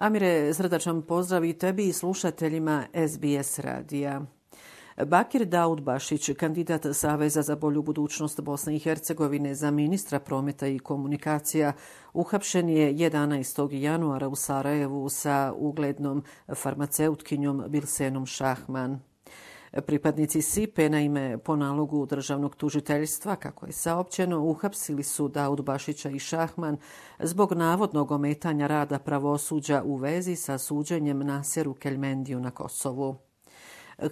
Amire, srdačan pozdrav i tebi i slušateljima SBS radija. Bakir Daudbašić, kandidat Saveza za bolju budućnost Bosne i Hercegovine za ministra prometa i komunikacija, uhapšen je 11. januara u Sarajevu sa uglednom farmaceutkinjom Bilsenom Šahman. Pripadnici SIPE, naime, po nalogu državnog tužiteljstva, kako je saopćeno, uhapsili su Daudbašića i Šahman zbog navodnog ometanja rada pravosuđa u vezi sa suđenjem Naseru Keljmendiju na Kosovu.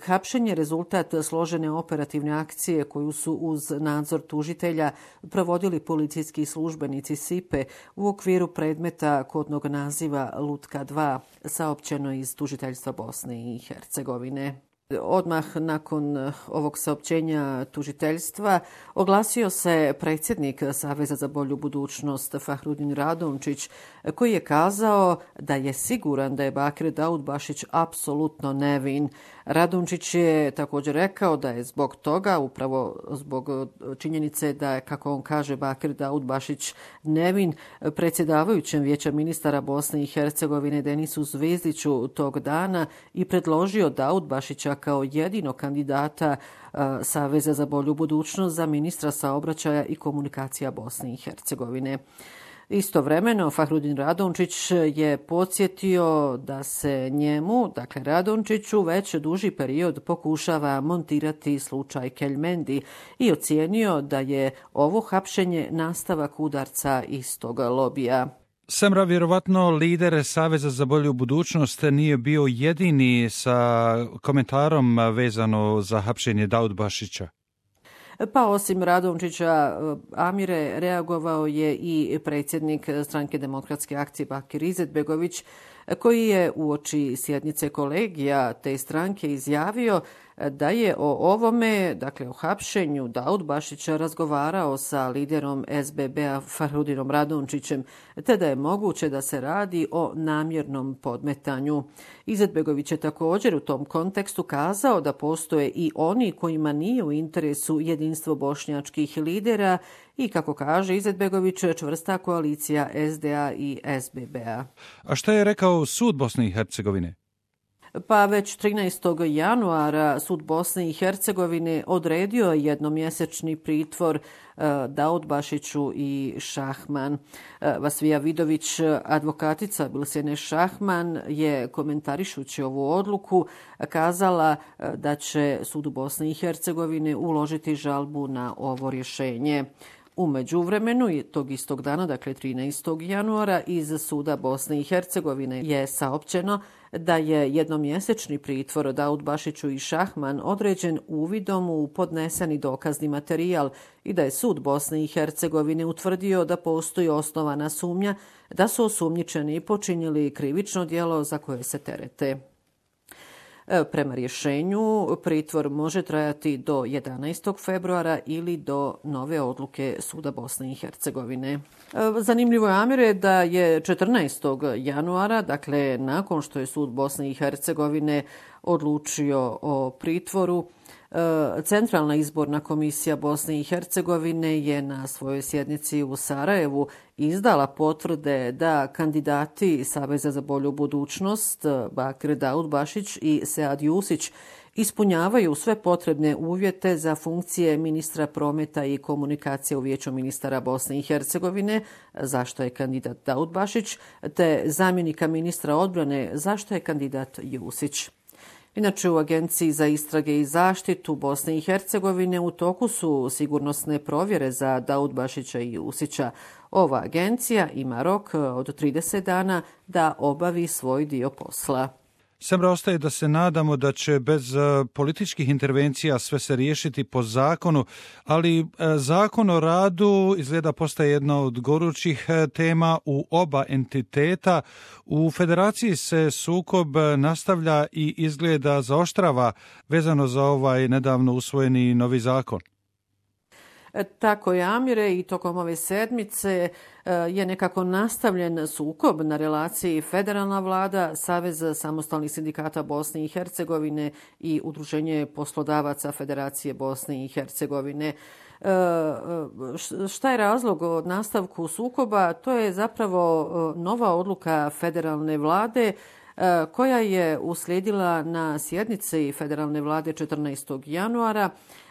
Hapšenje je rezultat složene operativne akcije koju su uz nadzor tužitelja provodili policijski službenici SIPE u okviru predmeta kodnog naziva Lutka 2, saopćeno iz tužiteljstva Bosne i Hercegovine. Odmah nakon ovog saopćenja tužiteljstva oglasio se predsjednik Saveza za bolju budućnost Fahrudin Radončić, koji je kazao da je siguran da je Bakir Daudbašić apsolutno nevin. Radončić je također rekao da je zbog toga, upravo zbog činjenice da je, kako on kaže, Bakir Daudbašić nevin, predsjedavajućem Vijeća ministara Bosne i Hercegovine Denisu Zvezdiću tog dana i predložio Daudbašića kao jedinog kandidata Saveza za bolju budućnost za ministra saobraćaja i komunikacija Bosne i Hercegovine. Istovremeno, Fahrudin Radončić je podsjetio da se njemu, dakle Radončiću, već duži period pokušava montirati slučaj Keljmendi i ocijenio da je ovo hapšenje nastavak udarca istog lobija. Semra, vjerovatno lider Saveza za bolju budućnost nije bio jedini sa komentarom vezano za hapšenje Daudbašića. Pa osim Radončića, Amire, reagovao je i predsjednik Stranke demokratske akcije Bakir Izetbegović, koji je uoči sjednice kolegija te stranke izjavio da je o ovome, dakle o hapšenju Daudbašića, razgovarao sa liderom SBB-a Fahrudinom Radončićem, te da je moguće da se radi o namjernom podmetanju. Izetbegović je također u tom kontekstu kazao da postoje i oni kojima nije u interesu jedinstvo bošnjačkih lidera i, kako kaže Izetbegović, čvrsta koalicija SDA i SBB-a. A šta je rekao sud Bosne i Hercegovine? Pa već 13. januara sud Bosne i Hercegovine odredio jednomjesečni pritvor Daudbašiću i Šahman. Vasvija Vidović, advokatica Bilsene Šahman, je komentarišući ovu odluku kazala da će sud Bosne i Hercegovine uložiti žalbu na ovo rješenje. U međuvremenu, tog istog dana, dakle 13. januara, iz suda Bosne i Hercegovine je saopćeno da je jednomjesečni pritvor Daudbašiću i Šahman određen uvidom u podneseni dokazni materijal i da je sud Bosne i Hercegovine utvrdio da postoji osnovana sumnja da su osumnjičeni počinili krivično djelo za koje se terete. Prema rješenju, pritvor može trajati do 11. februara ili do nove odluke suda Bosne i Hercegovine. Zanimljivo je, Amire, da je 14. januara, dakle nakon što je sud Bosne i Hercegovine odlučio o pritvoru, Centralna izborna komisija Bosne i Hercegovine je na svojoj sjednici u Sarajevu izdala potvrde da kandidati Saveza za bolju budućnost Bakir Daudbašić i Sead Jusić ispunjavaju sve potrebne uvjete za funkcije ministra prometa i komunikacije u Vijeću ministara Bosne i Hercegovine, zašto je kandidat Daudbašić, te zamjenika ministra odbrane, zašto je kandidat Jusić. Inače, u Agenciji za istrage i zaštitu Bosne i Hercegovine u toku su sigurnosne provjere za Daudbašića i Jusića. Ova agencija ima rok od 30 dana da obavi svoj dio posla. Semra, ostaje da se nadamo da će bez političkih intervencija sve se riješiti po zakonu, ali zakon o radu izgleda postaje jedna od gorućih tema u oba entiteta. U federaciji se sukob nastavlja i izgleda zaoštrava vezano za ovaj nedavno usvojeni novi zakon. Tako je, Amire, i tokom ove sedmice je nekako nastavljen sukob na relaciji federalna vlada, Savez samostalnih sindikata Bosne i Hercegovine i Udruženje poslodavaca Federacije Bosne i Hercegovine. Šta je razlog o nastavku sukoba? To je zapravo nova odluka federalne vlade koja je uslijedila na sjednici federalne vlade 14. januara.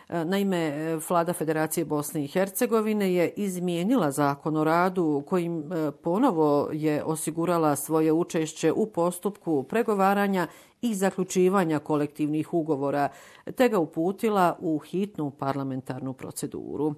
Naime, vlada Federacije Bosne i Hercegovine je izmijenila zakon o radu kojim ponovo je osigurala svoje učešće u postupku pregovaranja i zaključivanja kolektivnih ugovora, te ga uputila u hitnu parlamentarnu proceduru.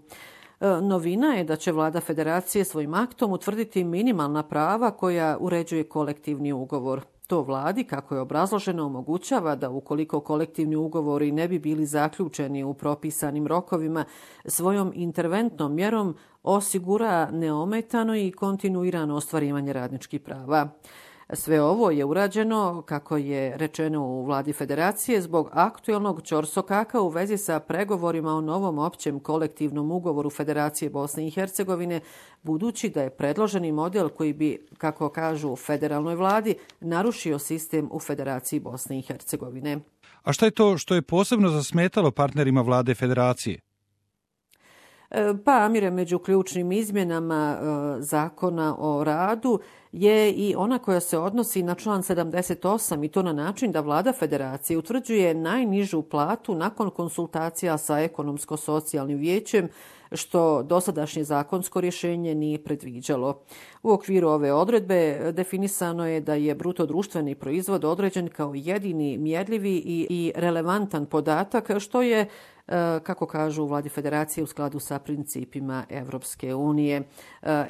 Novina je da će vlada Federacije svojim aktom utvrditi minimalna prava koja uređuje kolektivni ugovor. To vladi, kako je obrazloženo, omogućava da ukoliko kolektivni ugovori ne bi bili zaključeni u propisanim rokovima, svojom interventnom mjerom osigura neometano i kontinuirano ostvarivanje radničkih prava. Sve ovo je urađeno, kako je rečeno u vladi Federacije, zbog aktualnog ćorsokaka u vezi sa pregovorima o novom općem kolektivnom ugovoru Federacije Bosne i Hercegovine, budući da je predloženi model koji bi, kako kažu u federalnoj vladi, narušio sistem u Federaciji Bosne i Hercegovine. A šta je to što je posebno zasmetalo partnerima vlade Federacije? Pa, Amire, među ključnim izmjenama zakona o radu je i ona koja se odnosi na član 78 i to na način da vlada Federacije utvrđuje najnižu platu nakon konsultacija sa ekonomsko-socijalnim vijećem, što dosadašnje zakonsko rješenje nije predviđalo. U okviru ove odredbe definisano je da je bruto društveni proizvod određen kao jedini mjerljivi i relevantan podatak, što je, kako kažu u vladi Federacije, u skladu sa principima Evropske unije.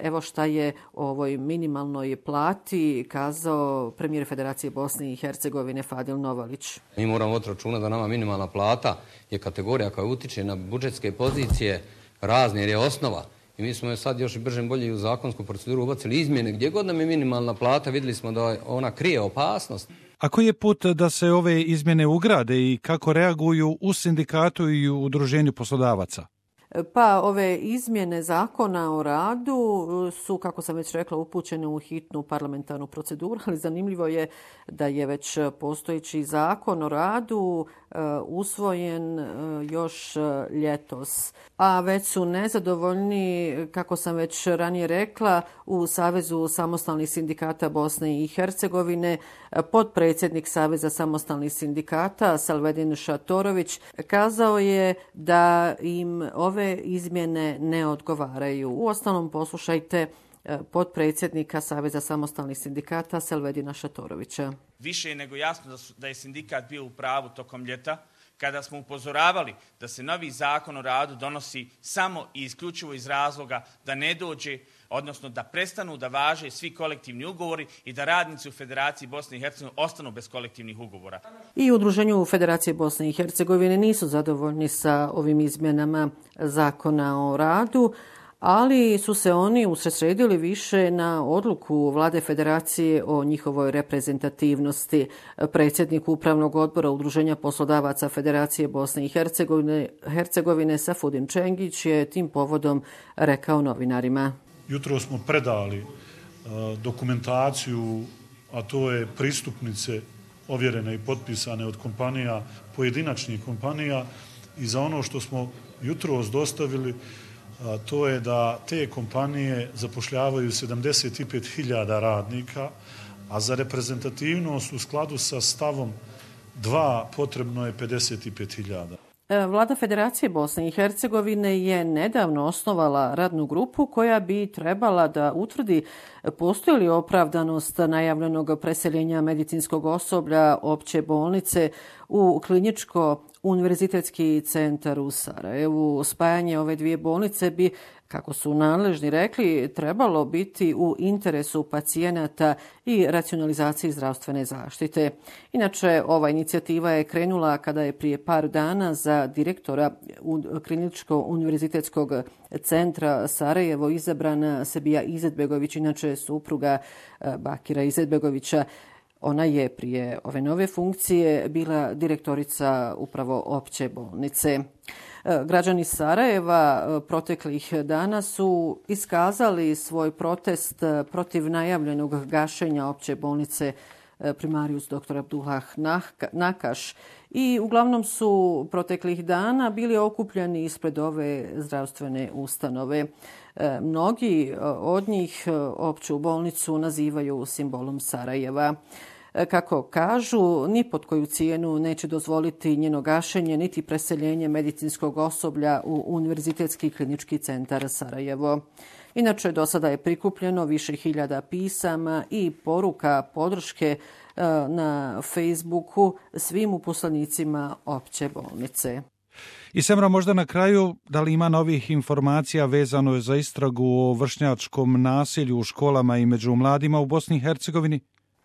Evo šta je o ovoj minimalnoj plati kazao premijer Federacije Bosne i Hercegovine Fadil Novalić. Mi moramo voditi računa da nama minimalna plata je kategorija koja utiče na budžetske pozicije razne, jer je osnova. I mi smo je sad još brže bolje u zakonsku proceduru ubacili izmjene. Gdje god nam je minimalna plata, vidjeli smo da ona krije opasnost. A koji je put da se ove izmjene ugrade i kako reaguju u sindikatu i u udruženju poslodavaca? Pa ove izmjene zakona o radu su, kako sam već rekla, upućene u hitnu parlamentarnu proceduru, ali zanimljivo je da je već postojeći zakon o radu usvojen još ljetos. A već su nezadovoljni, kako sam već ranije rekla, u Savezu samostalnih sindikata Bosne i Hercegovine potpredsjednik Saveza samostalnih sindikata Selvedin Šatorović kazao je da im ove izmjene ne odgovaraju. Uostalom, poslušajte potpredsjednika Saveza samostalnih sindikata Selvedina Šatorovića. Više je nego jasno da je sindikat bio u pravu tokom ljeta, kada smo upozoravali da se novi zakon o radu donosi samo i isključivo iz razloga da ne dođe, odnosno da prestanu da važe svi kolektivni ugovori i da radnici u Federaciji Bosne i Hercegovine ostanu bez kolektivnih ugovora. I u Udruženju Federacije Bosne i Hercegovine nisu zadovoljni sa ovim izmjenama zakona o radu, ali su se oni usredsredili više na odluku vlade Federacije o njihovoj reprezentativnosti. Predsjednik Upravnog odbora Udruženja poslodavaca Federacije Bosne i Hercegovine Safudin Čengić je tim povodom rekao novinarima. Jutro smo predali dokumentaciju, a to je pristupnice ovjerene i potpisane od kompanija, pojedinačnih kompanija, i za ono što smo jutros dostavili, to je da te kompanije zapošljavaju 75.000 radnika, a za reprezentativnost u skladu sa stavom 2 potrebno je 55.000. Vlada Federacije Bosne i Hercegovine je nedavno osnovala radnu grupu koja bi trebala da utvrdi postoji li opravdanost najavljenog preseljenja medicinskog osoblja opće bolnice u kliničko-univerzitetski centar u Sarajevu. Spajanje ove dvije bolnice bi, kako su nadležni rekli, trebalo biti u interesu pacijenata i racionalizaciji zdravstvene zaštite. Inače, ova inicijativa je krenula kada je prije par dana za direktora kliničko-univerzitetskog centra Sarajevo izabran Sebija Izetbegović, inače supruga Bakira Izetbegovića. Ona je prije ove nove funkcije bila direktorica upravo opće bolnice. Građani Sarajeva proteklih dana su iskazali svoj protest protiv najavljenog gašenja opće bolnice Primarius dr. Abdullah Nakaš i uglavnom su proteklih dana bili okupljeni ispred ove zdravstvene ustanove. Mnogi od njih opću bolnicu nazivaju simbolom Sarajeva. Kako kažu, ni pod koju cijenu neće dozvoliti njeno gašenje niti preseljenje medicinskog osoblja u Univerzitetski klinički centar Sarajevo. Inače, do sada je prikupljeno više hiljada pisama i poruka podrške na Facebooku svim uposlenicima opće bolnice. I Semra, možda na kraju, da li ima novih informacija vezano za istragu o vršnjačkom nasilju u školama i među mladima u Bosni i Hercegovini?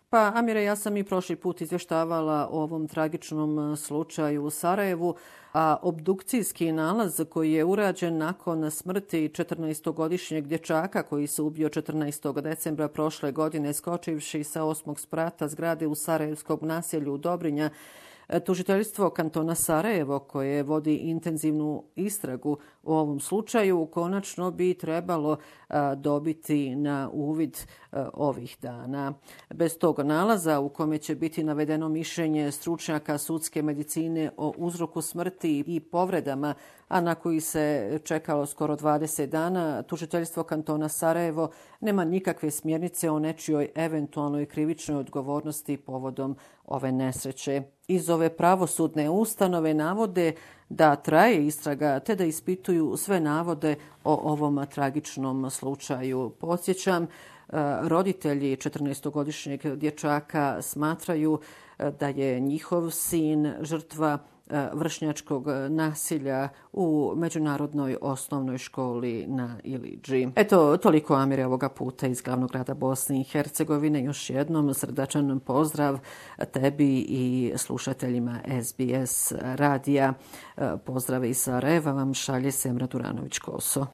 Pa, Amire, ja sam i prošli put izvještavala o ovom tragičnom slučaju u Sarajevu, a obdukcijski nalaz koji je urađen nakon smrti 14-godišnjeg dječaka koji se ubio 14. decembra prošle godine skočivši sa 8. sprata zgrade u sarajevskog naselju Dobrinja, tužiteljstvo kantona Sarajevo, koje vodi intenzivnu istragu u ovom slučaju, konačno bi trebalo dobiti na uvid ovih dana. Bez tog nalaza, u kome će biti navedeno mišljenje stručnjaka sudske medicine o uzroku smrti i povredama, a na koji se čekalo skoro 20 dana, tužiteljstvo kantona Sarajevo nema nikakve smjernice o nečijoj eventualnoj krivičnoj odgovornosti povodom ove nesreće. Iz ove pravosudne ustanove navode da traje istraga te da ispituju sve navode o ovom tragičnom slučaju. Podsjećam, roditelji 14-godišnjeg dječaka smatraju da je njihov sin žrtva vršnjačkog nasilja u Međunarodnoj osnovnoj školi na Ilidži. Eto, toliko, Amire, ovoga puta iz glavnog grada Bosne i Hercegovine. Još jednom srdačan pozdrav tebi i slušateljima SBS radija. Pozdrave iz Sarajeva vam šalje Semra Duranović-Koso.